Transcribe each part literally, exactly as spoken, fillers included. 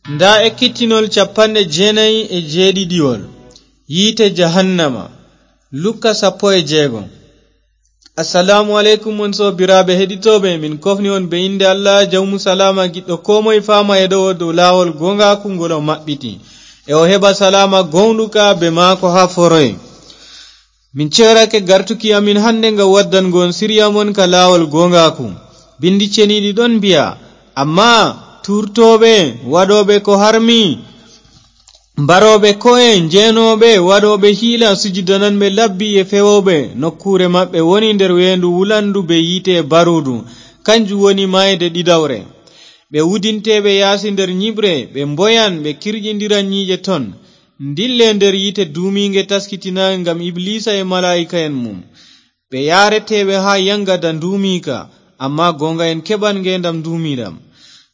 Ndaa ekkitinol capanɗe jeenayi e jeeɗiɗiwol, yiite jahannama, Lukka sappo e jeego. Assalaamu aleykum, on soobiraaɓe heɗitooɓe, min kofni on be innde Allah, jawmu salaama, giɗɗo koo moye faama e ɗowo dow laawol gooŋgaaku ngol o maɓɓiti. E o heɓa salaama gooŋɗuka be maako haa foroy. Min ceerake gartuki amin hannde ngam waddango on siriya mon ka laawol gooŋgaaku. Binndi ceniiɗi ɗon mbi'a, ammaa tuurtooɓe, waɗooɓe ko harmi, mbarooɓe ko'e, njeenooɓe, waɗooɓe hiila, sujidananɓe labbi e fewooɓe, nokkuure maɓɓe woni nder weendu wulandu be yiite e baruudu, kanjum woni maayde ɗiɗawre. Ɓe wudinte ɓe yaasi nder nyiɓre, ɓe mboyan, ɓe kirƴindiran nyiiƴe ton. Ndille nder yiite duumiiŋge taskitinaange ngam Ibliisa e malaa'ika'en mum. Ɓe yaareteeɓe haa yaŋgada nduumiika, ammaa gooŋga'en keɓan ngeendam nduumiiɗam.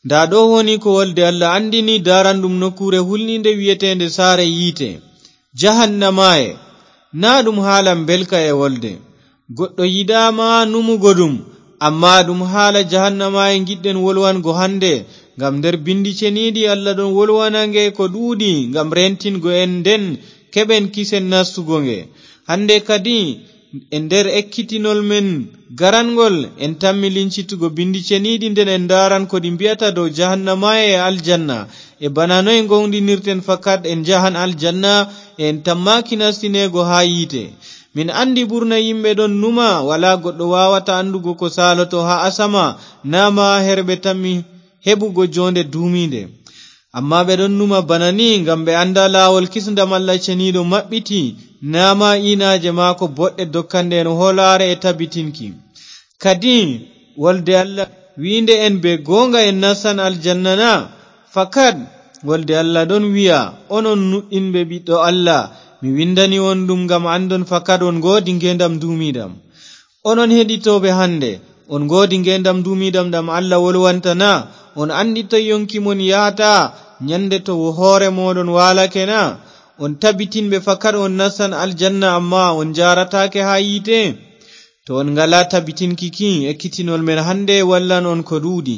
Ndaa ɗo woni ko wolde Allah anndini daaranɗum nokkuure hulniinde wi'eteende saare yiite, jahannamaaye. Naa ɗum haala mbelka e wolde. Goɗɗo yiɗaama numugo ɗum, ammaa ɗum haala jahannamaaye ngiɗɗen wolwango hannde, ngam nder binndi ceniiɗi Allah ɗon wolwana nge ko ɗuuɗi ngam rentingo en, nden keɓen kisen nastugo nge. Hannde kadi, e nder ekkitinol men garanŋgol, en tammi lincitugo binndi ceniiɗi, nden en ndaaran ko ɗi mbi'ata dow jahannamaaye e aljanna, e bana noy ngoonɗinirten fakat en njahan aljanna, e en tammaaki nastineego haa yiite. Min anndi ɓurna yimɓe ɗon numa, walaa goɗɗo waawata anndugo ko saaloto haa asama, naa ma her ɓe tammi heɓugo joonde duumiinde. Ammaa ɓe ɗon numa bana ni ngam ɓe annda laawol kisndam Allah ceniiɗo maɓɓiti, naa ma iinaaje maako boɗɗe dokkanɗe en hoolaare e tabitinki. Kadi, wolde Allah wi'nde en be gooŋga en nastan aljanna na? Fakat, wolde Allah ɗon wi'a, onon nuɗɗinɓe Ɓiɗɗo Allah, mi winndani on ɗum ngam anndon fakat on ngoodi ngeendam nduumiiɗam. Onon heɗitooɓe hannde, on ngoodi ngeendam nduumiiɗam ɗam Allah wolwanta na? On anndi toy yonki mon yahata nyannde to wo hoore mooɗon waalake na? On tabitinɓe fakat on nastan aljanna, ammaa on njaarataake haa yiite? To on ngalaa tabitinki ki, ekkitinol men hannde wallan on ko ɗuuɗi.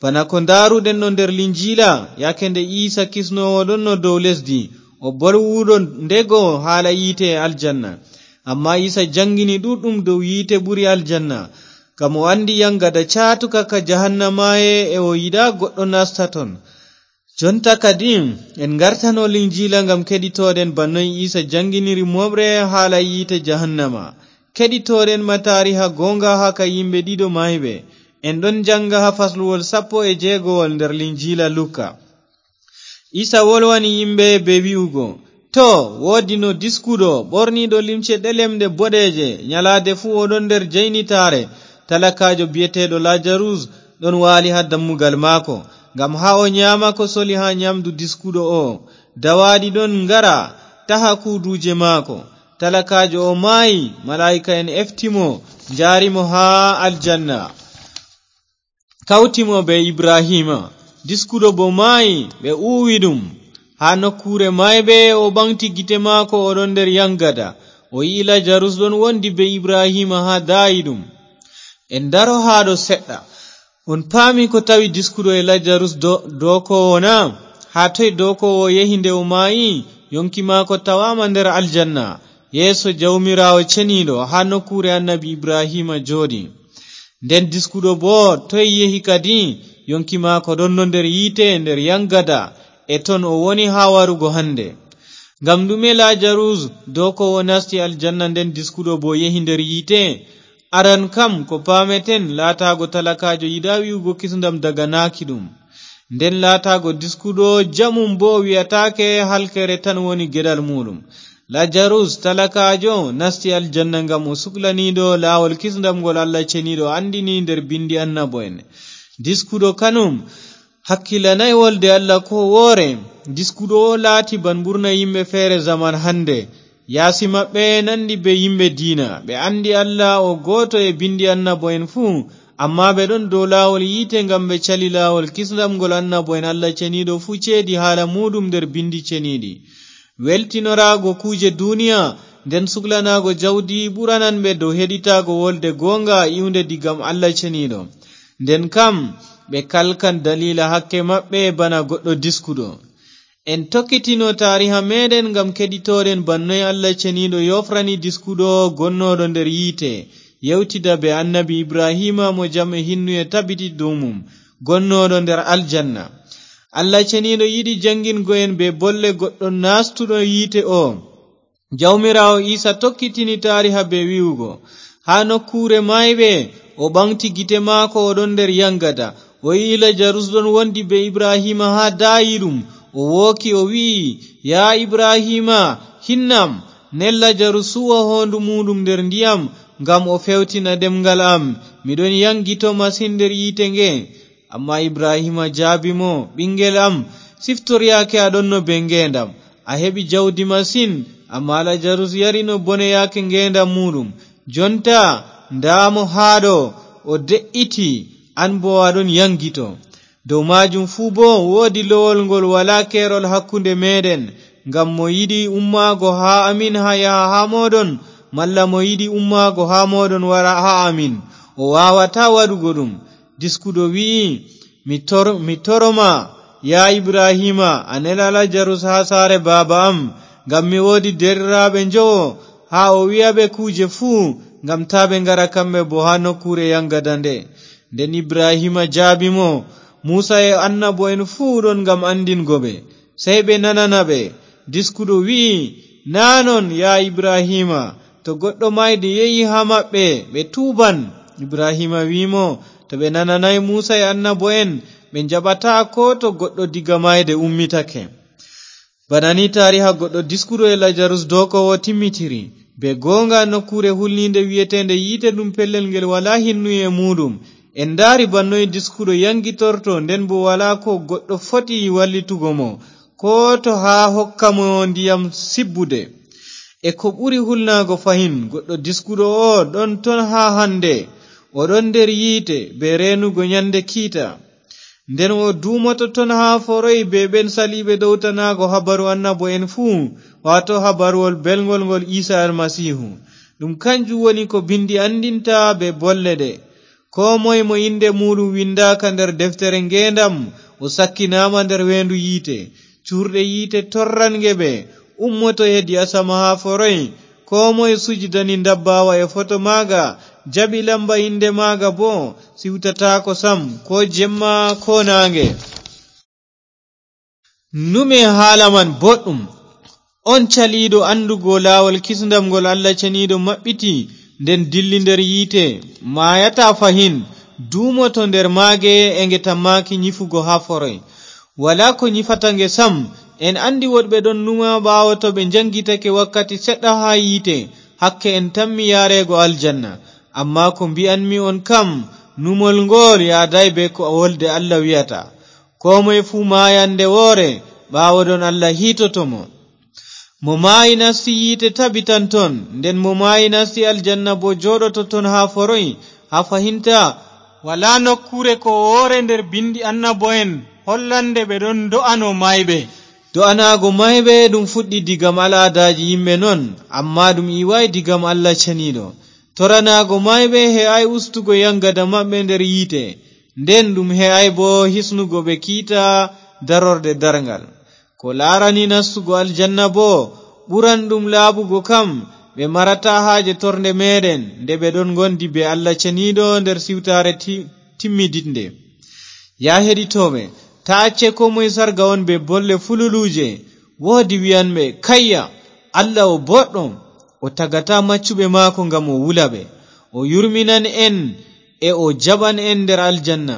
Bana ko ndaaruɗen ɗo nder Linjiila, yaake nde Iisa kisnoowo ɗonno dow lesdi, o bolwuɗo ndego haala yiite e aljanna. Ammaa Iisa jaŋngini ɗuuɗɗum dow yiite ɓuri aljanna, ngam o anndi yaŋgada caatuka ka jahannamaaye e o yiɗaa goɗɗo nasta ton. Jonta kadi, en ngartano Linjiila ngam keɗitooɗen bana noy Iisa jaŋnginiri mooɓre haala yiite jahannama. Keɗitooɗen ma taariha gooŋga haa ka yimɓe ɗiɗo maayɓe. En ɗon jaŋnga haa fasluwol sappo e jeegowol nder Linjiila Luka. Iisa wolwani yimɓe bee wi'ugo, "To, woodino diskuɗo, ɓorniiɗo limce ɗelemɗe boɗeeje, nyalaade fuu o ɗon nder jaynitaare, talakaajo bi'eteeɗo Laajarus ɗon waali haa dammugal maako, ngam haa o nyaama ko soli haa nyaamdu diskuɗo oo. Dawaaɗi ɗon ngara, taha kuuduuje maako. Talakaajo oo maayi, malaa'ika'en efti mo, njaari mo haa aljanna." Kawti mo bee Ibrahiima. Diskuɗo boo maayi, ɓe uwi ɗum. Haa nokkuure maayɓe, o ɓaŋgti gite maako, o ɗon nder yaŋgada. O yi'i Laajarus ɗon wondi bee Ibrahiima haa daayiiɗum. En ndaro haa ɗo seɗɗa. On paami ko tawi diskuɗo e Laajarus do-, dookoowo na? Haa toy dookoowo yehi nde o maayi? Yonki maako tawaama nder aljanna. Yeeso Jawmiraawo ceniiɗo, haa nokkuure annabi Ibrahiima jooɗi. Nden diskuɗo boo toy yehi kadi? Yonki maako ɗonno nder yiite, nder yaŋgada, e ton o woni haa warugo hannde. Ngam ɗume Laajarus dookoowo nasti aljanna, nden diskuɗo boo yehi nder yiite? Aran kam, ko paameten, laataago talakaajo yiɗaa wi'ugo kisndam daganaaki ɗum. Nden laataago diskuɗo jamum boo wi'ataake halkere tan woni geɗal muuɗum. Laajarus, talakaajo, nasti aljanna ngam o suklaniiɗo laawol kisndam ngol Allah ceniiɗo anndini nder binndi annabo'en. Diskuɗo kanum hakkilanay wolde Allah koo woore. Diskuɗo o laati ban ɓurna yimɓe feere zaman hannde. Yaasi maɓɓe nanndi bee yimɓe diina. Ɓe anndi Allah o gooto e binndi annabo'en fuu, ammaa ɓe ɗon dow laawol yiite ngam ɓe cali laawol kisndam ngol annabo'en Allah ceniiɗo fuu ceedi haala muuɗum nder binndi ceniiɗi. Weltinoraago kuuje duuniya, nden suklanaago jawdi ɓuranan ɓe dow heɗitaago wolde gooŋga iwnde digam Allah ceniiɗo. Nden kam, ɓe kalkan daliila hakke maɓɓe bana goɗɗo diskuɗo. En tokkitino taariha meɗen ngam keɗitoɗen bannoy Allah Ceniiɗo yofrani diskuɗo gonnooɗo nder yiite, yewtida be annabi Ibrahiima mo jam e hinnuye tabiti dow mum, gonnooɗo nder aljanna. Allah Ceniiɗo yiɗi janngingo en be bolle goɗɗo naastuɗo yiite o. Jawmiraawo Iisa tokkitini taariha be wi'ugo, haa nokkuure maayɓe, o ɓaŋgti gite maako, o ɗon nder yaŋgada. O yi'i Lajarus ɗon wondi be Ibrahiima haa daayiiɗum. O wooki, o wi'i, "Yaa Ibrahiima, hinnam, nel Lajarus suuwa hoondu muuɗum nder ndiyam, ngam o feewtina ɗemŋgal am. Mi ɗon yaŋgito masin nder yiite nge." Ammaa Ibrahiima jaabi mo, "Ɓiŋngel am, siftor yaake a ɗonno bee ngeendam. A heɓi jawdi masin, ammaa Lajarus yarino bone yaake ngeendam muuɗum. Jonta, ndaa mo haa ɗo, o de'iti, an boo a ɗon yaŋgito. Dow maajum fuu boo woodi lowol ngol walaa keerol hakkunde meeɗen, ngam mo yiɗi ummaago haa amin haa yaha haa mooɗon, malla mo yiɗi ummaago haa mooɗon wara haa amin, o waawataa waɗugo ɗum." Diskuɗo wi'i, "Mi tor-, mi toro ma, yaa Ibrahiima, a nela Lajarus haa saare baaba am, ngam mi woodi deerɗiraaɓe njowo, haa o wi'a ɓe kuuje fuu, ngam taa ɓe ngara kamɓe boo haa nokkuure yaŋgada nde." Nden Ibrahiima jaabi mo, "Muusa e annabo'en fuu ɗon ngam anndingo ɓe, sey ɓe nanana ɓe." Diskuɗo wi'i, "Naa non, yaa Ibrahiima, to goɗɗo maayde yehi haa maɓɓe, ɓe tuuban." Ibrahiima wi'i mo, "To ɓe nananaay Muusa e annabo'en, ɓe njaɓataa koo to goɗɗo diga maayde ummitake." Bana ni taariha goɗɗo diskuɗo e Lajarus dookoowo timmitiri. Be gooŋga nokkuure hulniinde wi'eteende yiite ɗum pellel ngel walaa hinnuye e muuɗum. En ndaari bannoy diskuɗo yaŋgitorto, nden boo walaa ko goɗɗo foti wallitugo mo, koo to haa hokka mo ndiyam sibbude. E ko ɓuri hulnaago fahin, goɗɗo diskuɗo o ɗon ton haa hannde. O ɗon nder yiite be reenugo nyande kiita. Nden o duumoto ton haa foroy be ɓen saliiɓe ɗowtanaago habaru annabo'en fuu, waato habaruwol belŋgol ngol Iisa Almasiihu. Ɗum kanjum woni ko Binndi anndinta be bolle ɗe, "Koo moy mo innde muuɗum winndaaka nder deftere ngeendam, o sakkinaama nder weendu yiite. Cuurɗe yiite torran nge ɓe, ummoto hedi asama haa foroy. Koo moy sujidani ndabbaawa e foto maaga, jaɓi lamba innde maaga boo, siwtataako sam, koo jemma koo naaŋge." Nume haala man boɗɗum. On caliiɗo anndugo laawol kisndam ngol Allah Ceniiɗo maɓɓiti, nden dilli nder yiite, maayataa fahin, duumoto nder maage e nge tammaaki nyifugo haa foroy. Walaa ko nyifata nge sam. En anndi woɗɓe ɗon numa ɓaawo to ɓe njaŋgitake wakkati seɗɗa haa yiite, hakke en tammi yaareego aljanna. Ammaa ko mbi'anmi on kam, numol ngool yaadaay bee ko wolde Allah wi'ata. Koo moy fuu maayan nde woore, ɓaawo ɗon Allah hiitoto mo. Mo maayi nasti yiite tabitan ton, nden mo maayi nasti aljanna boo jooɗoto ton haa foroy, haa fahinta. Walaa nokkuure ko woore nder binndi annabo'en hollannde ɓe ɗon ndo'ano maayɓe. Do'anaago maayɓe ɗum fuɗɗi digam al'aadaaji yimɓe non, ammaa ɗum iwaay digam Allah Ceniiɗo. Toranaago maayɓe he'aay ustugo yaŋgada maɓɓe nder yiite, nden ɗum he'aay boo hisnugo ɓe kiita darorɗe darŋgal. Ko laarani nastugo aljanna boo, ɓuran ɗum laaɓugo kam, ɓe marataa haaje tornde meeɗen, nde ɓe ɗon ngondi bee Allah Ceniiɗo nder siwtaare ti-, timmidiɗnde. Yaa heɗitooɓe, taa acce koo moy sarga on bee bolle fululuuje. Woodi wi'anɓe, "Kayya, Allah o boɗɗo, o tagataa maccuɓe maako ngam o wula ɓe. O yurminan en e o jaɓan en nder aljanna."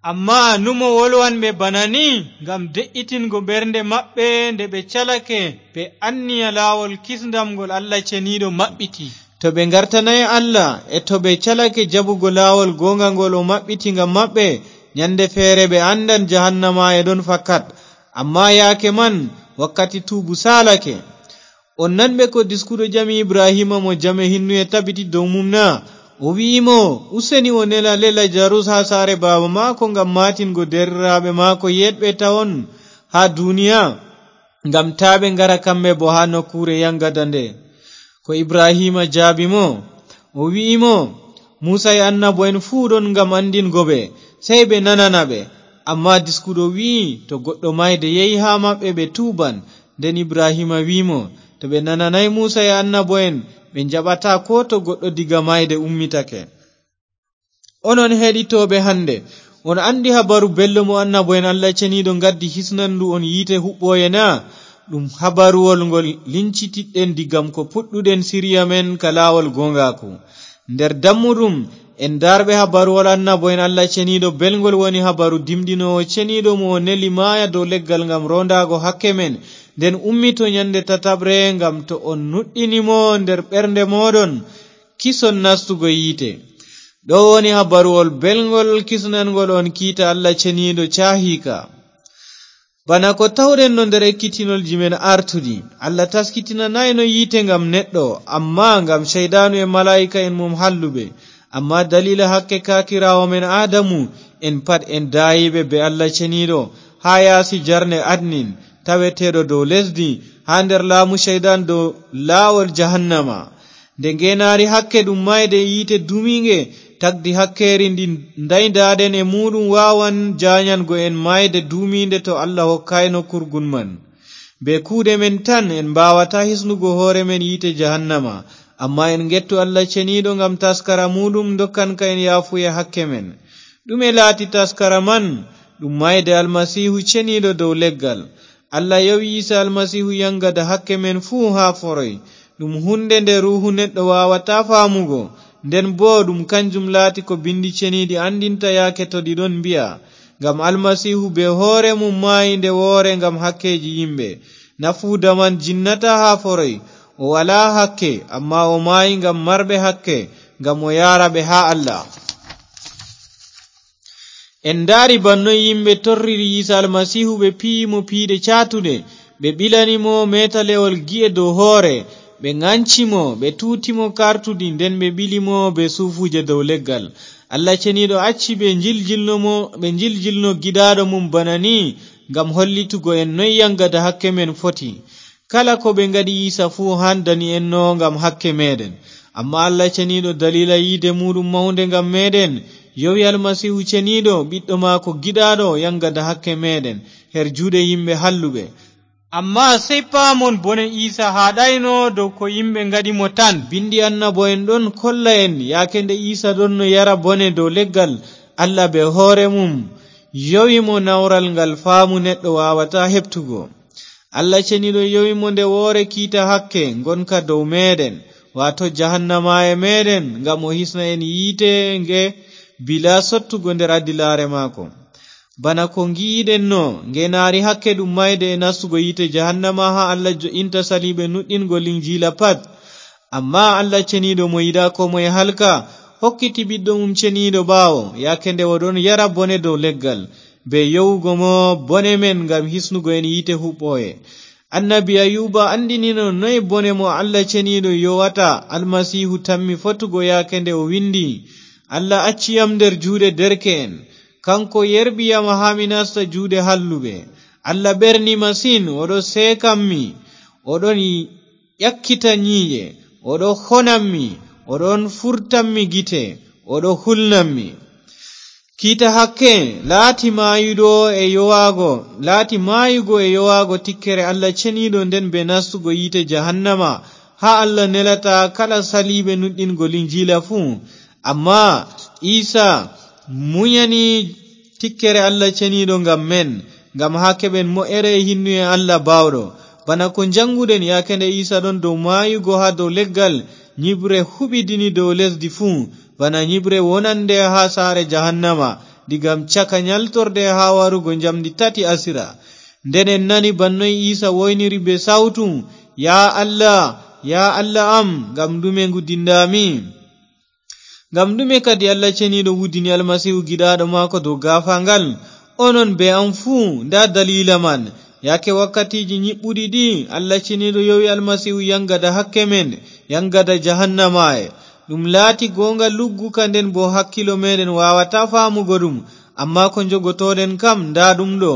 Ammaa numo wolwanɓe bana ni ngam de'itingo ɓernde maɓɓe nde ɓe calake, ɓe anniya laawol kisndam ngol Allah Ceniiɗo maɓɓiti. To ɓe ngartanaay Allah e to ɓe calake jaɓugo laawol gooŋga ngol o maɓɓiti ngam maɓɓe, nyande feere ɓe anndan jahannama e ɗon fakat. Ammaa yaake man, wakkati tuubu saalake. On nanɓe ko diskuɗo ƴami Ibrahiima mo jam e hinnuye tabiti dow mum na? O wi'i mo, "Useni o nela Lajarus haa saare baaba maako ngam maatingo deerɗiraaɓe maako yeeɗɓe tawon haa duniya, ngam taa ɓe ngara kamɓe boo haa nokkuure yaŋgada nde." Ko Ibrahiima jaabi mo, o wi'i mo, "Muusa e annabo'en fuu ɗon ngam anndingo ɓe, Sey ɓe nanana ɓe. Ammaa diskuɗo wi'i, to goɗɗo maayde yehi haa maɓɓe, ɓe tuuban. Nden Ibrahiima wi'i mo, to ɓe nananaay Muusa e annabo'en, ɓe njaɓataa koo to goɗɗo diga maayde ummitake. Onon heɗitooɓe hannde, on anndi habaru belɗo mo annabo'en Allah Ceniiɗo ngaddi hisnan ndu on yiite huɓɓooye na? Ɗum habaruwol ngol lincitiɗɗen digam ko puɗɗuɗen siriya men ka laawol gooŋgaaku. Nder dammuɗum, en daarɓe habaruwol annabo'en Allah Ceniiɗo belŋgol woni habaru dimɗinoowo ceniiɗo mo o neli maaya dow leggal ngam roondaago hakke men, nden ummito nyande tataɓre ngam to on nuɗɗini mo nder ɓernde mooɗon, kison nastugo yiite. Ɗo woni habaruwol belŋgol kisnanŋgol on kiita Allah Ceniiɗo caahiika. Bana ko tawɗen no nder ekkitinolji men artuɗi, Allah taskitinanaayno yiite ngam neɗɗo, ammaa ngam ceyɗaanu e malaa'ika'en mum halluɓe. Ammaa daliila hakke kaakiraawo men Aadamu, en pat en daayiiɓe bee Allah Ceniiɗo haa yaasi jarne Adnin, taweteeɗo dow lesdi, haa nder laamu Ceyɗan dow laawol jahannama. Nde ngeenaari hakke ɗum maayde e yiite duumiiŋge, tagdi hakkeeri ndi ndaydaaɗen e muuɗum waawan jaanyango en maayde duumiinde to Allah hokkaayno kurgun man. Bee kuuɗe men tan en mbaawataa hisnugo hoore men yiite jahannama, ammaa en ngettu Allah Ceniiɗo ngam taskara muuɗum ndokkanka en yaafuye hakke men. Ɗume laati taskara man? Ɗum maayde Almasiihu Ceniiɗo dow leggal. Allah yowi Iisa Almasiihu yaŋgada hakke men fuu haa foroy. Ɗum huunde nde ruuhu neɗɗo waawataa faamugo. Nden boo ɗum kanjum laati ko Binndi Ceniiɗi anndinta yaake to ɗi ɗon mbi'a, ngam Almasiihu bee hoore mum maayi nde woore ngam hakkeeji yimɓe. Nafuuda man jinnataa haa foroy. O walaa hakke, ammaa o maayi ngam marɓe hakke, ngam o yaara ɓe haa Allah. En ndaari bannoy yimɓe torriri Iisa Almasiihu, ɓe piyi mo piiɗe caatuɗe, ɓe ɓilani mo meetalewol gi'e dow hoore, ɓe ŋanci mo, ɓe tuuti mo kartudi, nden ɓe ɓili mo bee suufuuje dow leggal. Allah Ceniiɗo acci ɓe njiljilno mo, ɓe njiljilno giɗaaɗo mum bana ni, ngam hollitugo en noy yaŋgada hakke men foti. Kala ko ɓe ngaɗi Iisa fuu handani en no ngam hakke meeɗen. Ammaa Allah Ceniiɗo, daliila yiide muuɗum mawnde ngam meeɗen, yowi Almasiihu Ceniiɗo, ɓiɗɗo maako giɗaaɗo, yaŋgada hakke meeɗen her juuɗe yimɓe halluɓe. Ammaa sey paamon, bone Iisa haaɗayno dow ko yimɓe ngaɗi mo tan. Binndi annabo'en ɗon kolla en, yaake nde Iisa ɗonno yara bone dow leggal, Allah bee hoore mum yowi mo nawral ngal faamu neɗɗo waawataa heɓtugo. Allah Ceniiɗo yowi mo nde woore kiita hakke ngonka dow meeɗen, waato jahannamaaye meeɗen, ngam o hisna en yiite nge bilaa sottugo nder adilaare maako. Bana ko ngi'uɗen no, ngeenaari hakke ɗum maayde e nastugo yiite jahannama haa Allah jo'inta saliiɓe nuɗɗingo Linjiila pat. Ammaa Allah Ceniiɗo mo yiɗaa koo moye halka, hokkiti Ɓiɗɗo mum Ceniiɗo ɓaawo, yaake nde o ɗon yara bone dow leggal, bee yowugo mo bone men ngam hisnugo en yiite huɓɓooye. Annabi Ayuba anndinino noy bone mo Allah Ceniiɗo yowata Almasiihu tammi fotugo, yaake nde o winndi, "Allah acci yam nder juuɗe derke'en. Kanko yerɓi yam haa mi nasta juuɗe halluɓe. Allah ɓerni masin, o ɗo seekammi, o ɗon ƴakkita nyiiƴe, o ɗo honammi, o ɗon furtammi gite, o ɗo hulnammi." Kiita hakke laati maayuɗo e yowaago, laati maayugo e yowaago tikkere Allah Ceniiɗo nden bee nastugo yiite jahannama, haa Allah nelata kala saliiɓe nuɗɗingo Linjiila fuu. Ammaa Iisa munyani tikkere Allah Ceniiɗo ngam men, ngam haa keɓen mo'ere e hinnuye Allah Baawɗo. Bana ko njaŋnguɗen, yaake nde Iisa ɗon dow maayugo haa dow leggal, nyiɓre huɓidini dow lesdi fuu, bana nyiɓre wonande haa saare jahannama, diga caka nyaltorde haa warugo njamndi tati asira. Nden en nani bannoy Iisa woyniri bee sawtu, "Yaa Allah, yaa Allah am, ngam ɗume ngudinɗaa mi?" Ngam ɗume kadi Allah Ceniiɗo wudini Almasiihu giɗaaɗo maako dow gaafaangal? Onon bee am fuu, ndaa daliila man. Yaake wakkatiiji nyiɓɓuɗi ɗi, Allah Ceniiɗo yowi Almasiihu yaŋgada hakke men, yaŋgada jahannamaaye. Ɗum laati gooŋga lugguka, nden boo hakkilo meeɗen waawataa faamugo ɗum, ammaa ko njogotooɗen kam, ndaa ɗum ɗo.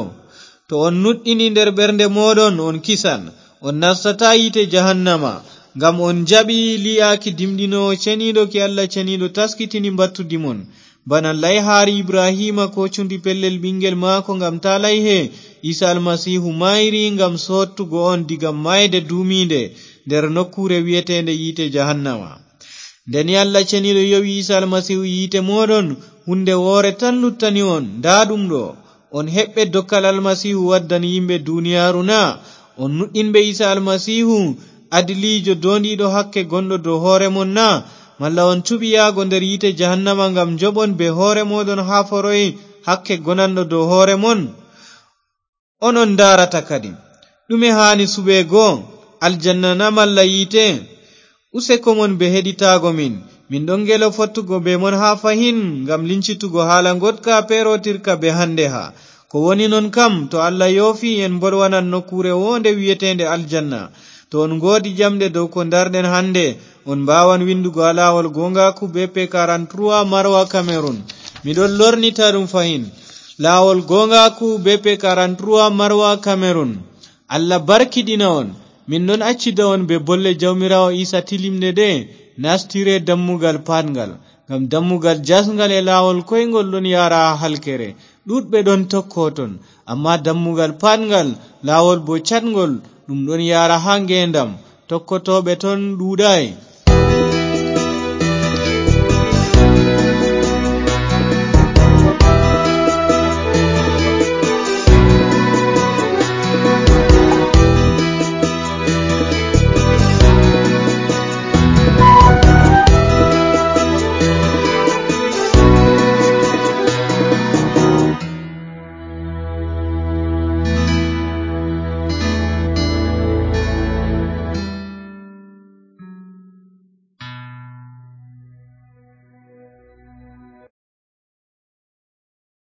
To on nuɗɗini nder ɓernde mooɗon, on kisan, on nastataa yiite jahannama, ngam on njaɓi lii'aaki dimɗinoowo ceniiɗo ki Allah Ceniiɗo taskitini mbattudi mon. Bana layhaari Ibrahiima koocundi pellel ɓiŋngel maako ngam taa layhe, Iisa Almasiihu maayri ngam soottugo on diga maayde duumiinde nder nokkuure wi'eteende yiite jahannama. Nde ni Allah Ceniiɗo yowi Iisa Almasiihu yiite mooɗon, huunde woore tan luttani on, ndaa ɗum ɗo, on heɓɓe dokkal Almasiihu waddani yimɓe duniyaaru na? On nuɗɗinɓe Iisa Almasiihu, adiliijo doondiiɗo hakke gonɗo dow hoore mon na? Malla on cuɓi yahgo nder yiite jahannama ngam njoɓon bee hoore mooɗon haa foroy hakke gonanɗo dow hoore mon? Onon ndaarata kadi. Ɗume haani suɓeego? Aljanna na malla yiite? Useko mon bee heɗitaago min. Min ɗon ngelo fottugo bee mon haa fahin ngam lincitugo haala ngoɗka peerootirka bee hande ha. Ko woni non kam, to Allah yoofi, en mbolwanan nokkuure woonde wi'eteende aljanna. To on ngoodi jamɗe dow ko ndarɗen hande, on mbaawan winndugo haa laawol gooŋgaaku B P quarante-trois Marwa Cameroun. Mi ɗon lornita ɗum fahin. Laawol gooŋgaaku B P quarante-trois Marwa Cameroun. Allah barkiɗina on. Min ɗon accida on bee bolle Jawmiraawo Iisa tilimɗe ɗe, nastire dammugal paatngal. Ngam dammugal jasŋgal e laawol koyŋgol ɗon yahra haa halkere. Ɗuuɗɓe ɗon tokko ton, ammaa dammugal paatngal, laawol boo caatŋgol, ɗum ɗon yahra haa ngeendam. Tokkotooɓe ton ɗuuɗaay.